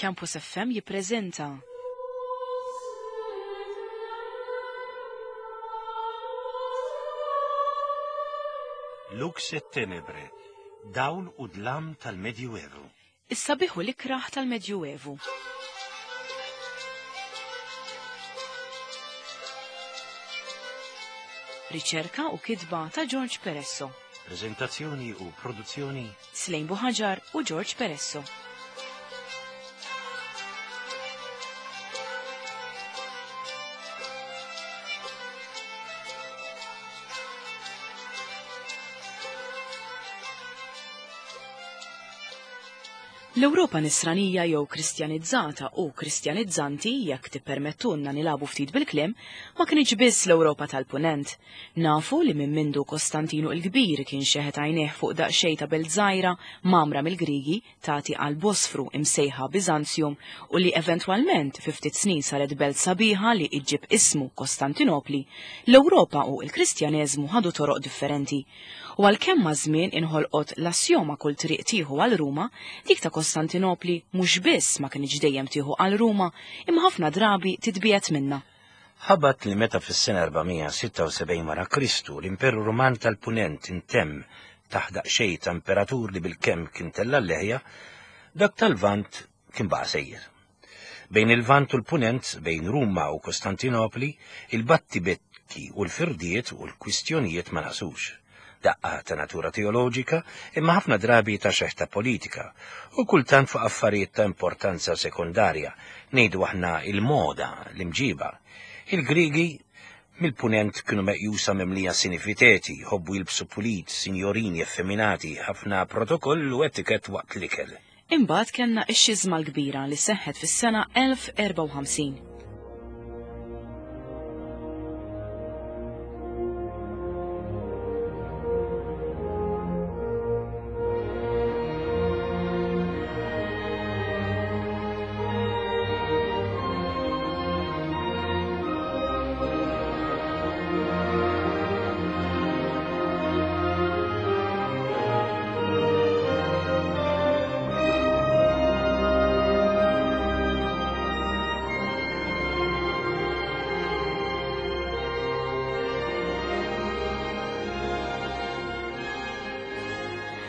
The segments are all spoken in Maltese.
Campus FM jippreżenta. Lux et Tenebre, dawl u dlam tal-Medjuevu. Is-sabiħ u l-ikrah tal-Medjuevu. Riċerka u kitba ta' George Peresso. Preżentazzjoni u produzzjoni Slejn Buħaġar u George Peresso. L-Ewropa nisranija jew Kristjanizzata u Kristjanizzanti, jekk tippermettulna nilagħbu ftit bil-kliem, ma kinitx biss l-Ewropa tal-Punent. Nafu li minn mindu Kostantinu l-Kbir kien xeħet għajnejh fuq daqsxejn ta' belt żgħira mgħammra mill-Griegi tagħti għall-Bosfru imsejħa Biżanzjum u li eventwalment fi ftit snin saret belt sabiħa li iġġib ismu Kostantinopli, l-Ewropa u l-Kristjaneżmu ħadu toroq differenti. U għalkemm maż-żmien inħolqot l-assjoma kull triq tieħu għal Ruma, dik ta' Kostantinopli mhux biss ma kinitx dejjem tieħu għal Ruma, imma ħafna drabi titbiegħed minnha. Ħabat li meta fis-sena 476 wara Kristu l-Imperu Ruman tal-Punent intemm taħt daqsxejn ta' imperatur li bilkemm kien tella' l-leħja, dak tal-Lvant kien baqa' sejjer. Bejn il-Lvant u l-Punent, bejn Ruma u Kostantinopli, il-battibekki u l-firdiet u l-kwistjonijiet ma naqsux. Daqqa ta' natura teoloġika, imma ħafna drabi ta' xeħta politika, u kultant fuq affarijiet ta' importanza sekondarja, ngħidu aħna il-moda, l-imġiba. Il-Griegi mill-Punent kienu meqjusa mimlija sinifiteti, jħobbu jilbsu pulit, sinjorini effeminati, ħafna protokoll u etikett waqt l-ikel. Imbagħad kellna x-Xiżma l-Kbira li seħħet fis-sena 1054.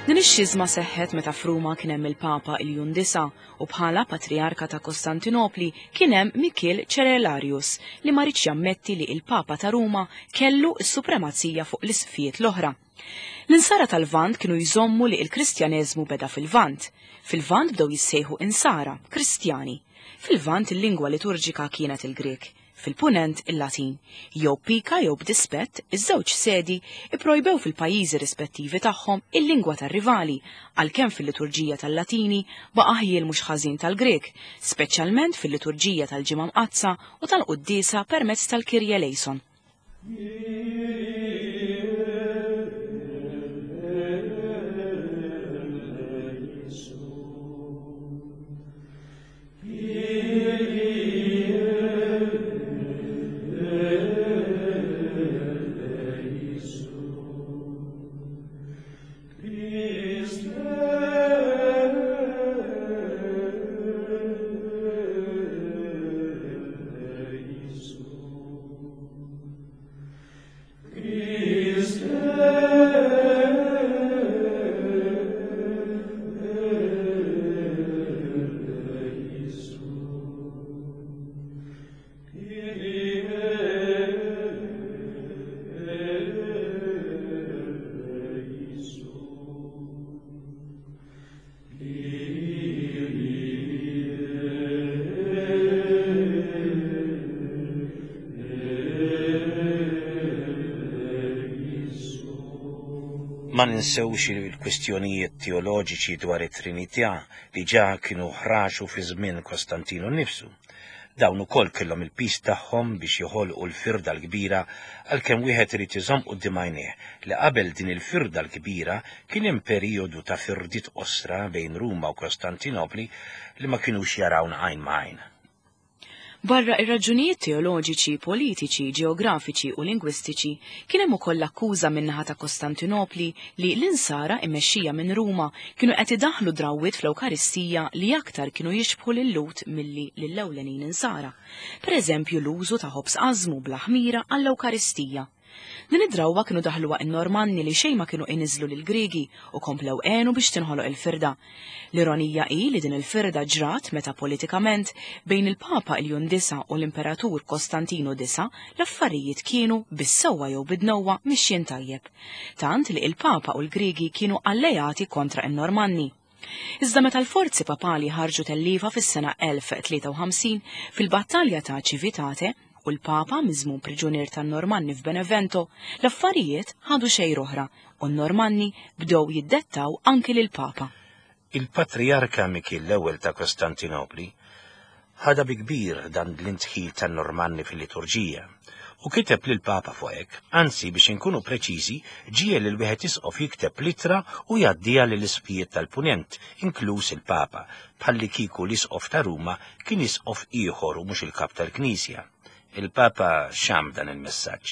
Din ix-xiżma seħħet meta f'Ruma kien hemm il-Papa Iljun Disa u bħala Patrijarka ta' Kostantinopli kien hemm Mikiel Cerelarius li ma riedx jammetti li il-Papa ta' Ruma kellu s-supremazija fuq l-isqfijiet l-oħra. L-Insara tal-Lvant kienu jżommu li l-Kristjaneżmu beda fil-Lvant. Fil-Lvant bdew jissejħu Insara, Kristjani. Fil-Lvant il-lingwa liturġika kienet il-Grieg, fil-Punent il-Latin. Jew b'pika jew b'dispett, iż-żewġ sedi ipprojbew fil-pajjiżi rispettivi tagħhom il-lingwa tar-rivali, għalkemm fil-liturġija tal-Latini baqa' ħjiel mhux ħażin tal-Grieg, speċjalment fil-liturġija tal-Ġimgħa Mqaddsa u tal-quddiesa permezz tal-Kyrie eleison. Ma ninsewx il-kwistjonijiet teoloġiċi dwar it-Trinità li ġa kienu ħraxu fi żmien Kostantinu nnifsu. Dawn ukoll kellhom il-piż tagħhom biex joħolqu l-firda l-kbira għalkemm wieħed irid iżomm quddiem għajnejh li qabel din il-firda l-kbira kien hemm perijodu ta' firdiet qosra bejn Ruma u Kostantinopli li ma kinux jarawna għajn ma' għajn. Barra ir-raġunijiet teoloġiċi, politiċi, ġeografiċi u lingwistiċi, kien hemm ukoll l-akkuża min-naħa ta' Kostantinopli li l-Insara immexxija minn Ruma kienu qed idaħħlu drawwiet fl-Ewkaristija li aktar kienu jixbħu lil-Lhud milli lill-ewlenin Insara, pereżempju l-użu ta' ħobż ażmu bla ħmira għall-Ewkaristija. Din id-drawwa kienu daħluha n-Normanni li xejn ma kienu iniżżlu lill-Griegi u komplew għenu biex tinħoloq il-firda. L-ironija hi li din il-firda ġrat meta politikament bejn il-Papa Iljun Disa' u l-Imperatur Kostantinu Disa' l-affarijiet kienu, bis-sewwa jew bid-dnewwa, mixjin tajjeb. Tant li il-Papa u l-Griegi kienu alleati kontra n-Normanni. Iżda meta l-forzi papali ħarġu telliefa fis-sena 1053 fil-battalja ta' Civitate u l-Papa miżmum priġunier tan-Normanni f'Benevento, l-affarijiet ħadu xejra oħra u n-Normanni bdew jiddettaw anki lill-Papa. Il-Patrijarka Mikiel l-Ewwel ta' Kostantinopli Ħadha bi kbir dan l-indħil tan-Normanni fil-liturġija, u kiteb lill-Papa fuq hekk, anzi biex inkunu preċiżi, ġiegħel lil wieħed isqof jikteb l-ittra u jgħaddiha lill-isqfijiet tal-Punent, inkluż il-Papa, bħallikieku l-isqof ta' Ruma kien isqof ieħor u mhux il-kap tal-Knisja. Il-Papa xamm dan il-messaġġ.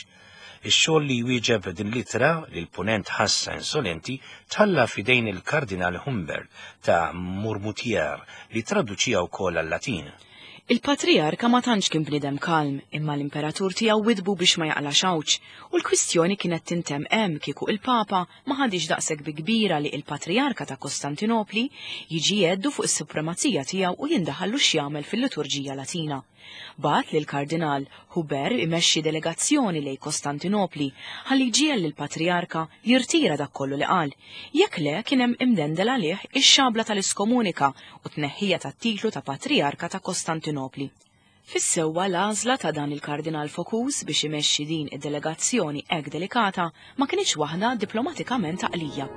Ix-xogħol li jwieġeb din l-ittra, li l-Punent ħassha insolenti, tħalla f'idejn il-Kardinal Humbert ta' Mourmoutier li ttraduċiha wkoll għal-Latin. Il-Patrijarka ma tantx kien bniedem kalm, imma l-Imperatur tiegħu widdbu biex ma jaqlax għawġ, u l-kwistjoni kienet tintemm hemm kieku il-Papa ma ħadhiex daqshekk bi kbira li il-Patrijarka ta' Kostantinopli jiġi jgħeddu fuq is-supremazija tiegħu u jindaħallu x'jagħmel fil-liturġija Latina. Bagħat lill-Kardinal Huber imexxi delegazzjoni lejn Kostantinopli ħalli jġiegħel lill-Patrijarka jirtira dak kollu li qal. Jekk le, kien hemm imdendel għalih ix-xabla tal-iskomunika u t-tneħħija tat-titlu ta' Patrijarka ta' Kostantinopli. Fis-sewwa l-għażla ta' dan il-Kardinal Focus biex imexxi din id-delegazzjoni hekk delikata ma kinitx waħda diplomatikament għaqlija.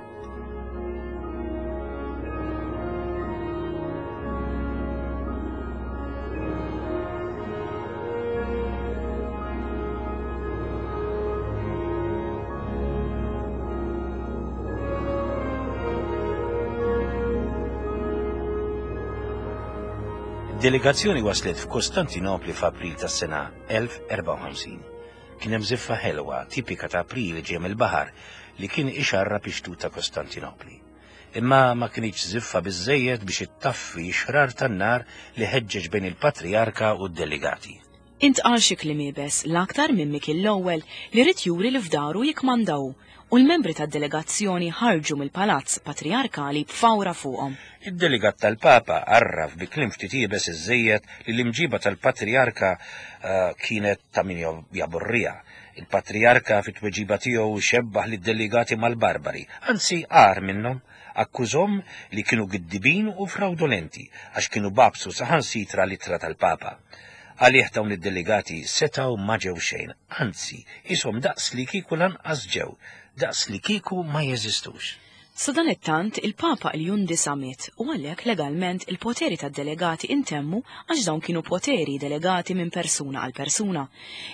Delegazzjoni waslet f'Kostantinopli f'April tas-sena 1054. Kien hemm żiffa ħelwa, tipika ta' April ġej mill-baħar, li kien ixarrab ix-xtut ta' Kostantinopli. Imma ma kinitx żiffa biżżejjed biex ittaffi x-xrar tan-nar li ħeġġeġ bejn il-Patrijarka u d-delegati. Intqal xi kliem iebes, l-aktar minn Mikiel l-Ewwel li ried juri li f'daru jikkmanda hu, u l-membri tad-delegazzjoni ħarġu mill-palazz patrijarkali b'fawra fuqhom. Id-delegat tal-Papa għarraf bi kliem ftit iebes iżżejjed li l-imġiba tal-Patrijarka kienet ta' min jaburriha. Il-Patrijarka fit-tweġiba tiegħu xebbah lid-delegati mal-barbari, anzi agħar minnhom, akkużhom li kienu giddibin u frawdolenti għax kienu bagħbsu saħansitra l-ittra tal-Papa. Għalih dawn id-delegati setgħu ma ġew xejn, anzi, qishom daqs li kieku lanqas ġew, daqs li kieku ma jeżistux. Sadanittant, il-Papa Iljun Disa' miet u għalhekk legalment il-poteri tad-delegati intemmu għax dawn kienu poteri delegati minn persuna għal persuna.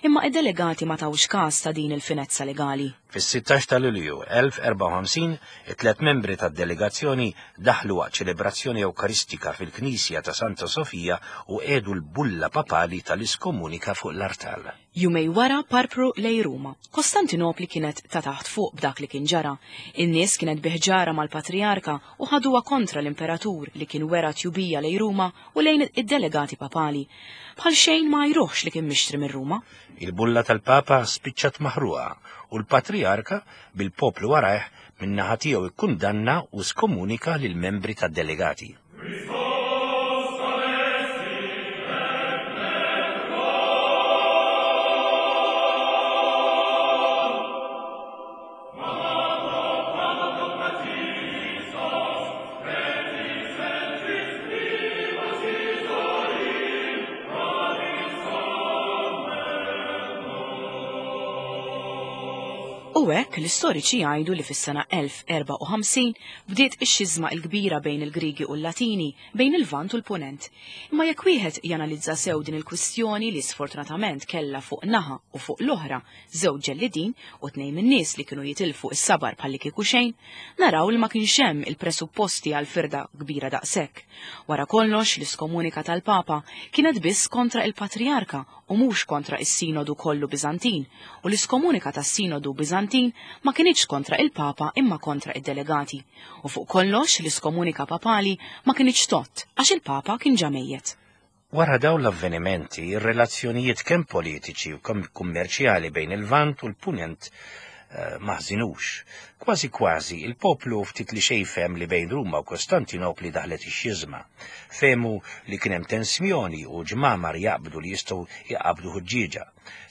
Imma id-delegati ma tawx każ ta' din il-finezza legali. Fis-16 ta' Lulju 1054, it-tliet membri tad-delegazzjoni daħlu waqt ċelebrazzjoni Ewkaristika fil-knisja ta' Santa Sofija u qiegħdu l-bulla papali tal-iskomunika fuq l-artal. Jumej wara parpru lejn Ruma. Kostantinopli kienet ta' taħt fuq b'dak li kien ġara. In-nies kienet bi ħġarha mal-patrijarka u ħaduha kontra l-imperatur li kien wera tjubija lejn Ruma u lejn id-delegati papali. Bħal xejn ma għajruhx li kien mixtri minn Ruma. Il-bulla tal-Papa spiċċat maħruqa u l-patrijarka, bil-poplu warajh, min-naħa tiegħu ikkundanna u skomunika lill-membri tad-delegati. U hekk l-istoriċi jgħidu li fis-sena 1054 bdiet ix-xiżma l-kbira bejn il-Griegi u l-Latini, bejn il-Lvant u l-Punent. Imma jekk wieħed janalizza sew din il-kwistjoni li sfortunatament kellha fuq naħa u fuq l-oħra żewġ ġellidin u tnejn min-nies li kienu jitilfu s-sabar bħallikieku xejn, naraw li ma kienx hemm il-presupposti għal firda kbira daqshekk. Wara kollox, l-iskomunika tal-Papa kienet biss kontra il-Patrijarka u mhux kontra is-Sinodu kollu Biżantin, u l-iskomunika tas-Sinodu Biżantin ma kinitx kontra il-Papa imma kontra id-delegati. U fuq kollox, l-iskomunika papali ma kinitx tgħodd għax il-Papa kien ġa mejjet. Wara dawn l-avvenimenti, ir-relazzjonijiet kemm politiċi u kemm kummerċjali bejn il-Lvant u l-Punent eh, ma ħżinux. Kważi kważi, il-poplu ftit li xejn fehem li bejn Ruma u Kostantinopli daħlet ix-xiżma. Fehmu li kien hemm tensjoni u ġmamar jaqbdu li jistgħu jqabdu ħuġġieġa.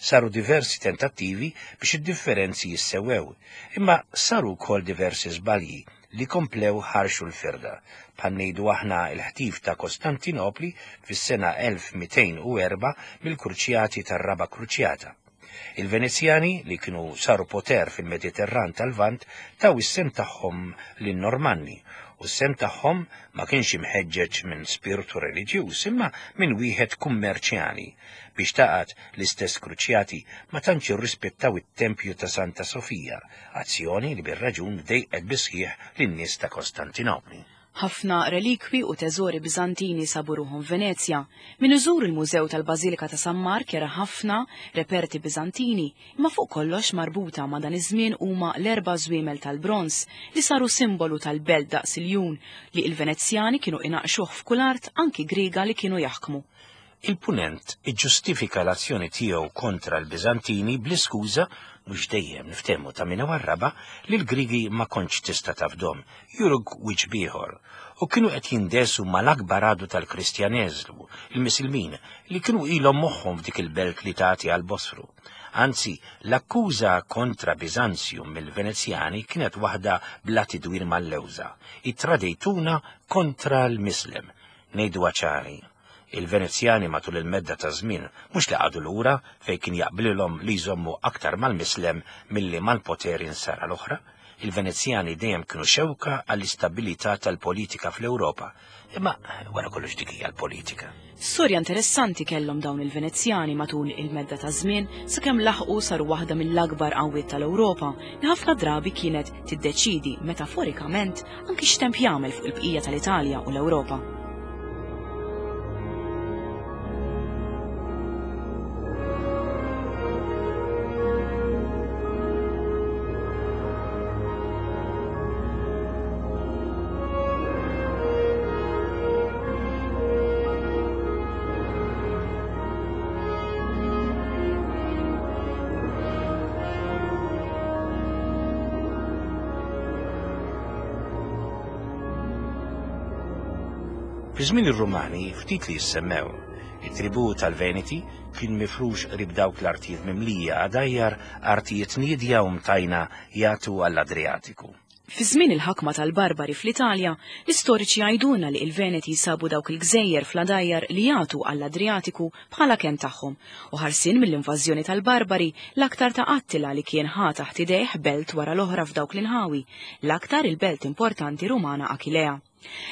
Saru diversi tentattivi biex id-differenzi jissewwew, imma saru wkoll diversi żbalji li komplew ħarxu l-firda, bħal ngħidu aħna l-ħtif ta' Kostantinopli fis-sena 1204 mill-Kruċjati tar-Raba' Kruċjata. Il-Venezjani, li kienu saru poter fil-Mediterran tal-Lvant, taw is-sehem tagħhom lin-Normanni, u s-sehem tagħhom ma kienx imħeġġeġ minn spirtu reliġjuż imma minn wieħed kummerċjali. Biex taqgħad, l-istess Kruċjati ma tantx irrispettaw it-tempju ta' Santa Sofija, azzjoni li bir-raġun dejqet bis-sħiħ lin-nies ta' Kostantinopli. Ħafna relikwi u teżori Biżantini sabu ruħhom f'Venezja. Min iżur il-Mużew tal-Bażilika ta' San Mark jara ħafna reperti Biżantini, imma fuq kollox marbuta ma' dan iż-żmien huma l-erba' żwiemel tal-bronż li saru simbolu tal-belt daqs iljun li l-Venezjani kienu inaqqxuh f'kull art anki Griega li kienu jaħkmu. Il-Punent iġġustifika l-azzjoni tiegħu kontra l-Biżantini bl-iskuża, mhux dejjem niftehmu ta' min iwarrabha, li l-Griegi ma kontx tista' tafdhom, juruk wiċċ b'ieħor, u kienu qed jindesu mal-akbar għadu tal-Kristjaneżmu, il-Misilmin, li kienu ilhom moħħhom f'dik il-belt li tagħti għall-Bosfru. Anzi, l-akkuża kontra Biżanzjum mill-Venezjani kienet waħda bla tidwir mal-lewża, ittradejtuna kontra l-Mislem. Ngħiduha ċari, Il-Venezjani matul il-medda taż-żmien mhux li qagħdu lura fejn kien jaqblilhom li jżommu aktar mal-Mislem milli mal-poteri Nsara l-oħra. Il-Venezjani dejjem kienu xewka għall-istabilità tal-politika fl-Ewropa. Imma wara kollox dik hija l-politika. Storja interessanti kellhom dawn il-Venezjani matul il-medda taż-żmien sakemm laħqu saru waħda mill-akbar qawwiet tal-Ewropa li ħafna drabi kienet tiddeċiedi metaforikament anki x'temp jagħmel fuq il-bqija tal-Italja u l-Ewropa. Fi żmien ir-Rumani ftit li jissemmew. It-tribù tal-Veneti kien mifrux qrib dawk l-artijiet mimlija għadajjar, artijiet niedja u mtajna jagħtu għall-Adriatiku. Fi żmien il-ħakma tal-Barbari fl-Italja, l-istoriċi jgħidulna li il-Veneti sabu dawk il-gżejjer fl-għadajjar li jagħtu għall-Adriatiku bħala kenn tagħhom u ħarsien mill-invażjoni tal-Barbari l-aktar ta' Attila li kien ħa taħt idejh belt wara l-oħra f'dawk l-inħawi, l-aktar il-belt importanti Rumana Achillea.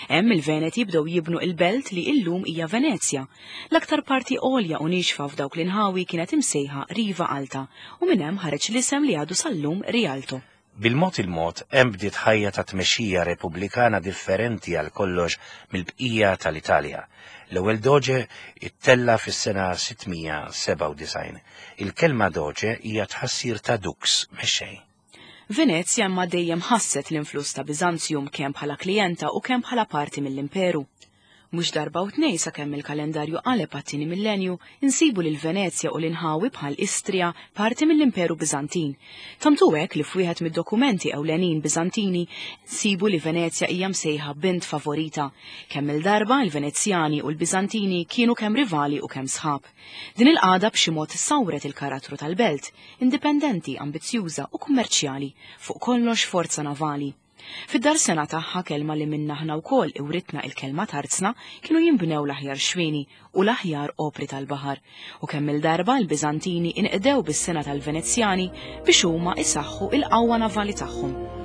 Hemm il-Veneti bdew jibnu il-belt li illum hija Venezja. L-aktar parti għolja u niexfa f'dawk l-inħawi kienet imsejħa Riva Alta u minn hemm ħareġ l-isem li għadu sal-lum Rialto. Bil-mod il-mod hemm bdiet ħajja ta' tmexxija repubblikana differenti għal kollox mill-bqija tal-Italja. L-ewwel doge ittella' fis-sena 697. Il-kelma doge hija tħassir ta' dux, mexxej. Venezja imma dejjem ħasset l-influss ta' Biżanzjum kemm bħala klijenta u kemm bħala parti mill-imperu. Mhux darba u tnejn sakemm il-kalendarju qaleb għat-tieni millenju, insibu lil Venezja u l-inħawi bħal Istria parti mill-Imperu Biżantin. Tant hu hekk li f'wieħed mid-dokumenti ewlenin Biżantini nsibu li Venezja hija msejħa bint favorita. Kemm-il darba il-Venezjani u l-Biżantini kienu kemm rivali u kemm sħab. Din il-qagħda b'xi mod sawret il-karattru tal-belt, indipendenti, ambizzjuża u kummerċjali, fuq kollox forza navali. Fid-darsena tagħha, kelma li minnha aħna wkoll iwritna il-kelma tarzna, kienu jinbnew l-aħjar xwieni u l-aħjar opri tal-baħar, u kemm-il darba l-Biżantini inqdew bis-sengħa tal-Venezjani biex huma isaħħu il-qawwa navali tagħhom.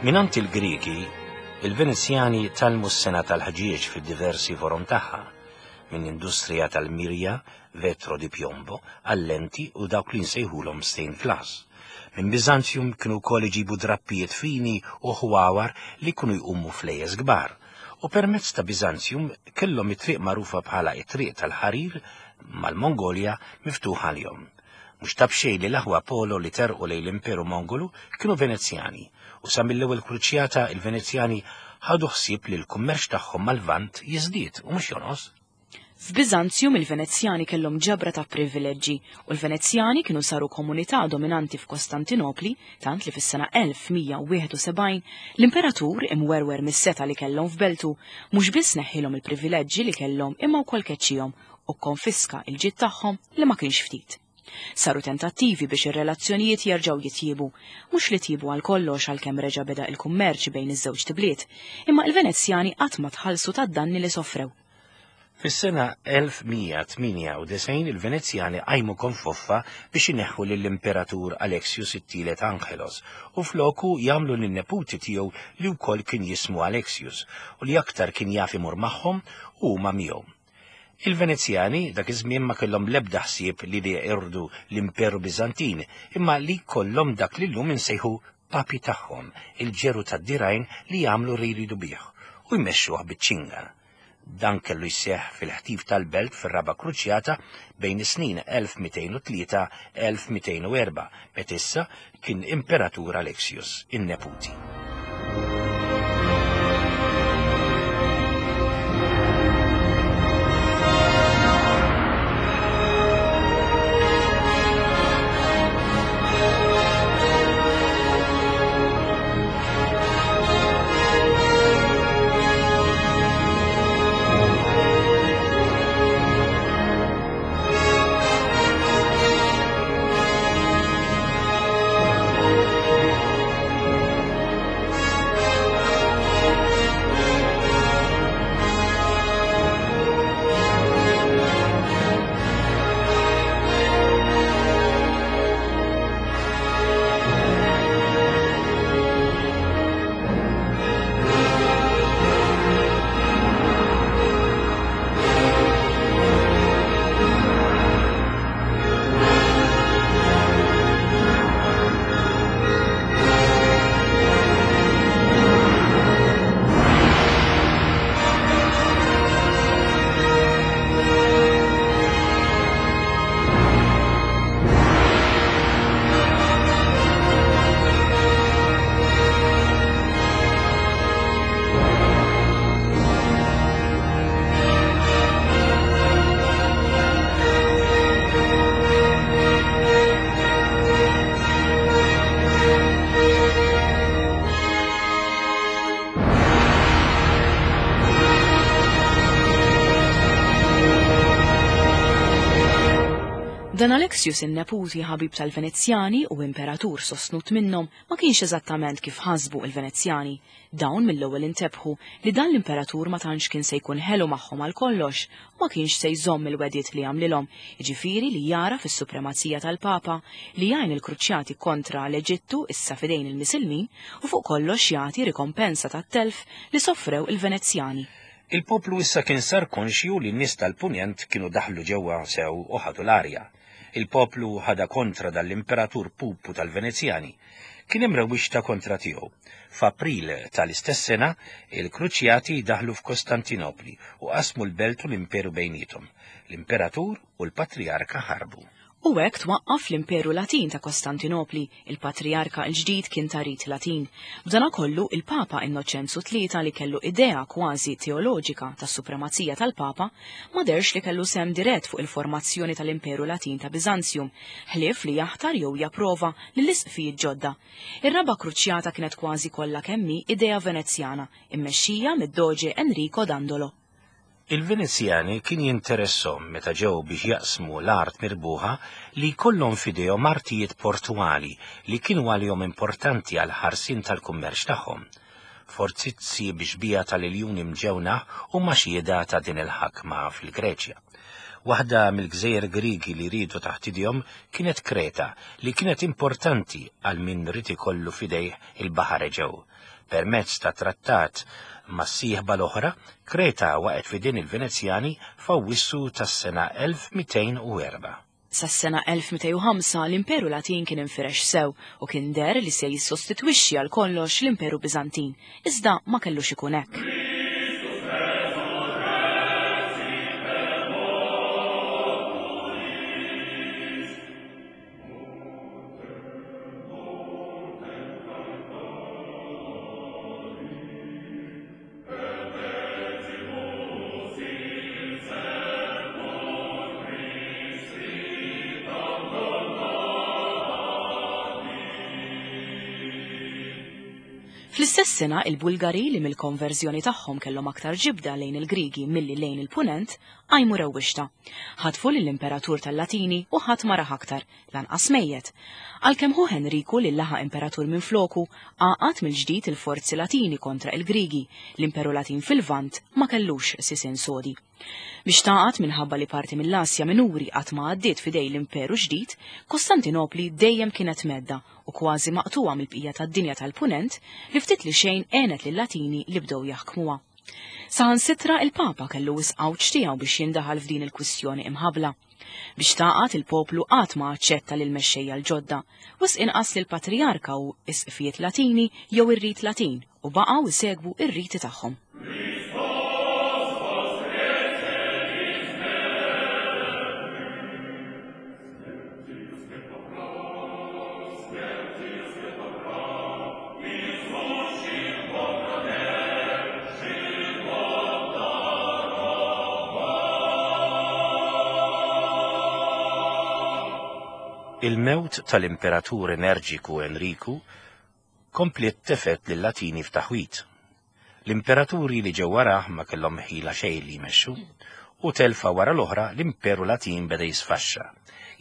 Minant il-Griki, il-Venezjani tgħallmu s-sengħa tal-ħġieġ fid-diversi forom tagħha, minn industrija tal-mirja, vetro di piombo, għal-lenti u dawk li nsejħulhom stained glass. Minn Biżanzjum kienu wkoll iġibu drappijiet fini u ħwawar li kienu jqumu flejjes kbar. U permezz ta' Biżanzjum kellhom it-triq magħrufa bħala it-triq tal-ħarir mal-Mongolja miftuħa għalihom. Mhux ta' b'xejn li l-aħwa Polo li terqu lejn l-Imperu Mongolu kienu Venezjani, u sa mill-ewwel kruċjata il-Venezjani ħadu ħsieb li l-kummerċ tagħhom mal-Lvant jiżdied u mhux jonqos. F'Biżanzjum il-Venezjani kellhom ġabra ta' privileġġi u l-Venezjani kienu saru komunità dominanti f'Kostantinopli tant li fis-sena 1171 l-imperatur, imwerwer mis-setgħa li kellhom f'beltu, mhux biss neħħilhom il-privileġġi li kellhom imma wkoll keċċihom u kkonfiska l-ġid tagħhom li ma kienx ftit. Saru tentattivi biex ir-relazzjonijiet jerġgħu jitjiebu, mhux li tjiebu għal kollox għalkemm reġa' beda il-kummerċ bejn iż-żewġt ibliet, imma il-Venezjani qatt ma tħallsu tad-danni li sofrew. Fis-sena 1198 il-Venezjani qajmu konfoffa biex ineħħu lill-Imperatur Alexius it-Tielet Angelos u floku jagħmlu lin-neputi tiegħu li wkoll kien jismu Alexius u li aktar kien jaf imur magħhom u huma miegħu. Il-Venezjani dak iż-żmien ma kellhom l-ebda ħsieb li li jeqirdu l-Imperu Biżantin, imma li jkollhom dak li llum insejħu papi tagħhom, il-ġeru tad-dirgħajn li jagħmlu li jridu bih u jmexxuh biċ-ċinga. Dan kellu jseħħ fil-ħtif tal-belt fir-Raba' Kruċjata bejn is-snin 1203-1204, meta issa kien Imperatur Alexius, in-neputi. Dan Alexius in-neputi ħabib tal-Venezjani u imperatur sostnut minnhom ma kienx eżattament kif ħasbu il-Venezjani. Dawn mill-ewwel intebħu li dan l-imperatur ma tantx kien se jkun ħelu magħhom għal kollox u ma kienx se jżomm il-wegħdiet li għamlilhom, jiġifieri li jagħraf is-supremazija tal-Papa, li jgħin il-Kruċjati kontra l-Eġittu issa f'idejn il-Misilmin u fuq kollox jagħti rikompensa tat-telf li sofrew il-Venezjani. Il-poplu issa kien sar konxju li n-nies tal-Punent kienu daħlu ġewwa sew u ħadu l-arja. Il-poplu ħadha kontra dan l-imperatur pupu tal-Venezjani. kien hemm rewwixta kontra tiegħu. F'April tal-istess sena, il-Kruċjati daħlu f'Kostantinopli u qasmu l-belt u l-imperu bejniethom. L-imperatur u l-patrijarka ħarbu. U hekk twaqqaf l-Imperu Latin ta' Kostantinopli, il-patrijarka l-ġdid kien ta' rit Latin. B'danakollu, il-Papa Innoċenzu Tlieta li kellu idea kważi teoloġika tas-supremazija tal-Papa, ma dehrx li kellu sehem dirett fuq il-formazzjoni tal-Imperu Latin ta' Biżanzjum, ħlief li jaħtar jew japprova lill-isqfijiet ġodda. Ir-Raba' Kruċjata kienet kważi kollha kemm hi idea Venezjana, immexxija mid-Doge Enrico Dandolo. Il-Venezjani kien jinteresshom meta ġew biex jaqsmu l-art mirbuħa li jkollhom f'idejhom artijiet portwali li kienu għalihom importanti għall-ħarsien tal-kummerċ tagħhom. Fortizzi bi xbieha tal-iljuni mġewnaħ huma xhieda ta' din il-ħakma fil-Greċja. Waħda mill-gżejjer Griegi li riedu taħt idejhom kienet Kreta li kienet importanti għal min ried ikollu f'idejh il-Baħar Eġew. Permezz ta' trattat mas-sieħba l-oħra, Kreta waqgħet f'idejn il-Venezjani f'Awwissu tas-sena 1204. Sas-sena 1205 l-Imperu Latin kien infirex sew u kien deher li se jissostitwixxi għal kollox l-Imperu Biżantin, iżda ma kellux ikun hekk. Fl-istess sena, il-Bulgari li mill-konverżjoni tagħhom kellhom aktar ġibda lejn il-Griegi milli lejn il-Punent, qajmu rewwixta. Ħatfu lill-Imperatur tal-Latini u ħadd ma rah aktar, lanqas mejjet. Għalkemm ħuh Enriku li laħaq imperatur minfloku, għaqad mill-ġdid il-forzi Latini kontra il-Griegi, l-Imperu Latin fil-Lvant ma kellux sisien sodi. Biex tgħaqad minħabba li parti mill-Asja Minuri qatt ma għaddiet f'idej l-Imperu ġdid, Kostantinopli dejjem kienet mhedda u kważi maqtugħa mill-bqija tad-dinja tal-Punent li ftit li xejn għenet lil-Latini li bdew jaħkmuha. Saħansitra il-Papa kellu wisq għawġ tiegħu biex jindaħal f'din il-kwistjoni imħabbla. Biex tgħaqad il-poplu qatt ma aċċetta lill-mexxejja l-ġodda, wisq inqas lill-patrijarka u isqfijiet Latini jew ir-rit Latin u baqgħu jsegwu r-riti tagħhom. Il-mewt tal-Imperatur energiku Enriku kompliet tefgħet lil-Latini f'taħwid. L-imperaturi li ġew warah ma kellhom ħila xejn li jmexxu, u telfa wara l-oħra l-Imperu Latin beda jisfaxxa.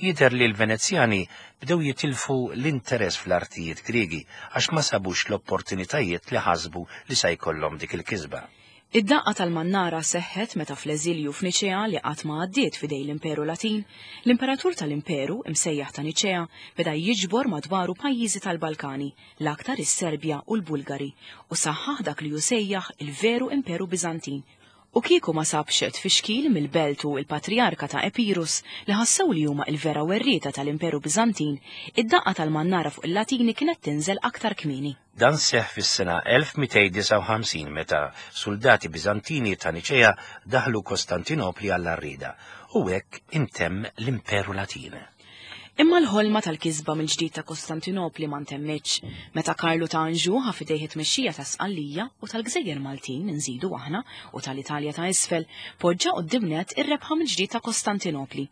Jidher li l-Venezjani bdew jitilfu l-interess fl-artijiet Griegi għax ma sabux l-opportunitajiet li ħasbu li sa jkollhom dik il-kisba. Id-daqqa tal-mannara seħħet meta fl-eżilju f'Niċea li qatt ma għaddiet f'idej l-Imperu Latin, l-Imperatur tal-Imperu, imsejjaħ ta' Niċea, beda jiġbor madwaru pajjiżi tal-Balkani, l-aktar is-Serbja u l-Bulgari, u saħħaħ dak li hu sejjaħ il-veru Imperu Biżantin, U kieku ma sabx tfixkil mill-belt u l-patrijarka ta' Epirus, li ħassew li huma il-vera werrieta tal-Imperu Biżantin, id-daqqa tal-mannara fuq il-Latini kienet tinżel aktar kmieni. Dan seħħ fis-sena 1259 meta suldati Biżantini ta' Niċea daħlu Kostantinopli għall-għarrieda, u hekk intemm l-Imperu Latin. Imma l-ħolma tal-kisba mill-ġdid ta' Kostantinopli ma ntemmitx. Meta Karlu ta' Anjou ħa f'idejh it-tmexxija ta' Sqallija u tal-gżejjer Maltin, inżidu aħna, u tal-Italja ta' isfel, poġġa quddiem nett ir-rebħa mill-ġdid ta' Kostantinopli.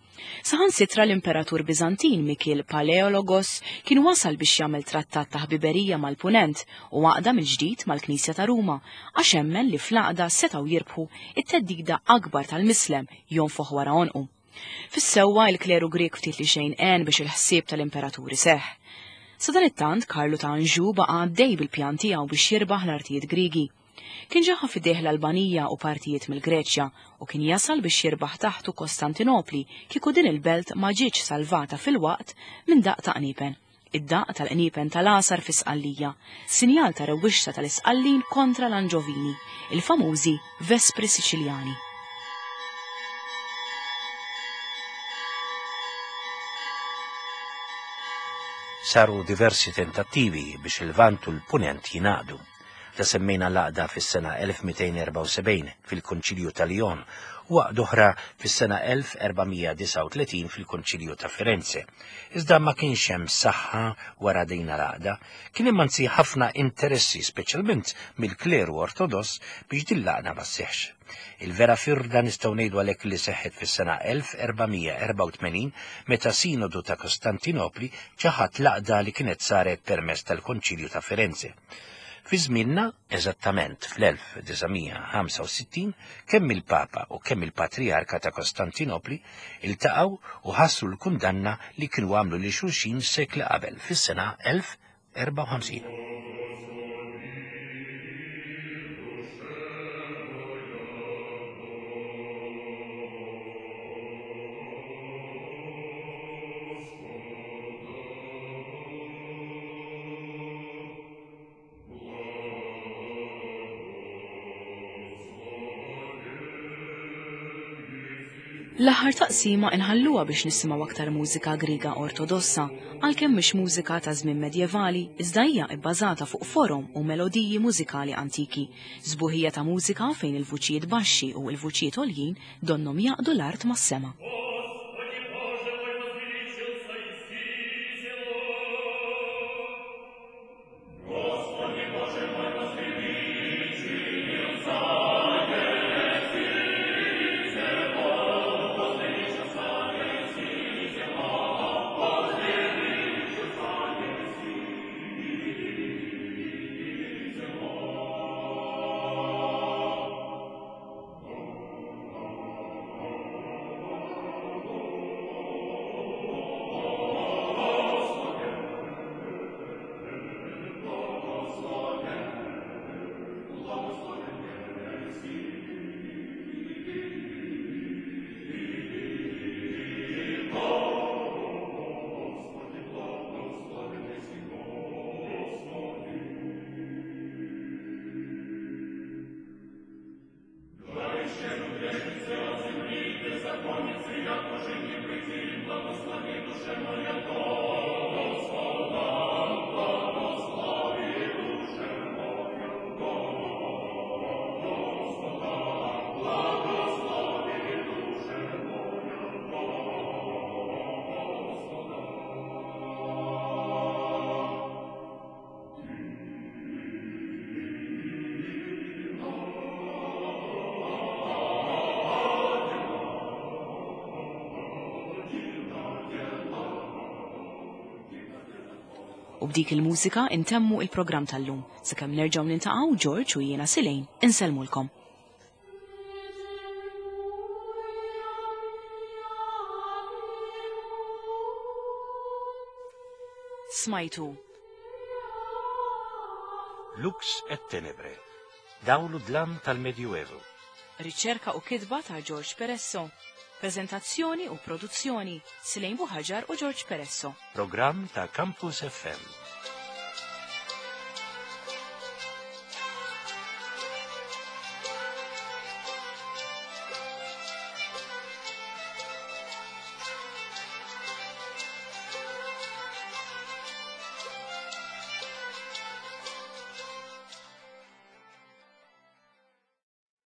Saħansitra l-Imperatur Biżantin Mikiel Paleologos kien wasal biex jagħmel trattat ta' ħbiberija mal-Punent u għaqda mill-ġdid mal-Knisja ta' Ruma għax emmen li fl-għaqda setgħu jirbħu it-theddida akbar tal-Mislem jonfoħ wara għonqu. Fis-sewwa, il-kleru Grieg ftit li xejn għen biex il-ħsieb tal-imperatur iseħħ. Sadanittant, Karlu ta' Anjou baqa' għaddej bil-pjan tiegħu biex jirbaħ l-artijiet Griegi. Kien ġa ħa f'idejh l-Albanija u partijiet mill-Greċja u kien jasal biex jirbaħ taħtu Kostantinopli kieku din il-belt ma ġietx salvata fil-waqt minn daqq ta' qniepen. Id-daqq tal-qniepen tal-għasar fi Sqallija, sinjal ta' rewwixta tal-Isqallin kontra l-Anġovini, il-famużi Vespri Siċiljani. Saru diversi tentattivi biex il-Lvant u l-Punent jingħaqdu. Ta' semmejna l-għaqda fis-sena 1274 fil-Konċilju ta' Lyon u għaqda oħra fis-sena 1439 fil-Konċilju ta' Firenze. Iżda ma kienx hemm saħħa wara din l-għaqda, kien hemm anzi ħafna interessi speċjalment mill-kleru Ortodoss biex din l-għaqda ma sseħħx. Il-vera firda nistgħu ngħidu għalhekk li seħħet fis-sena 1484 meta Sinodu ta' Kostantinopli ċaħad l-għaqda li kienet saret permezz tal-Konċilju ta' Firenze. Fi żmienna, eżattament fl-1965, kemm il-Papa u kemm il-Patrijarka ta' Kostantinopli iltaqgħu u ħassru l-kundanna li kienu għamlu lil xulxin sekli qabel fis-sena 1054. L-aħħar taqsima inħalluha biex nisimgħu aktar mużika Griega Ortodossa, għalkemm mhix mużika ta' żmien medjevali, iżda hija bbażata fuq forom u melodiji mużikali antiki. Sbuħija ta' mużika fejn il-vuċijiet baxxi u l-vuċijiet għoljin donnhom jgħaqqdu l-art mas-sema. U b'dik il-mużika intemmu il-programm tal-lum. Sakemm nerġgħu niltaqgħu George u jiena Silejn insellmulkom. Smajtu. Lux et Tenebre, dawl u dlam tal-Medjuevu. Riċerka u kitba ta' George Peresso. Prezentazzjoni u produzzjoni Silejn Buħaġar u George Peresso. Programm ta' Campus FM.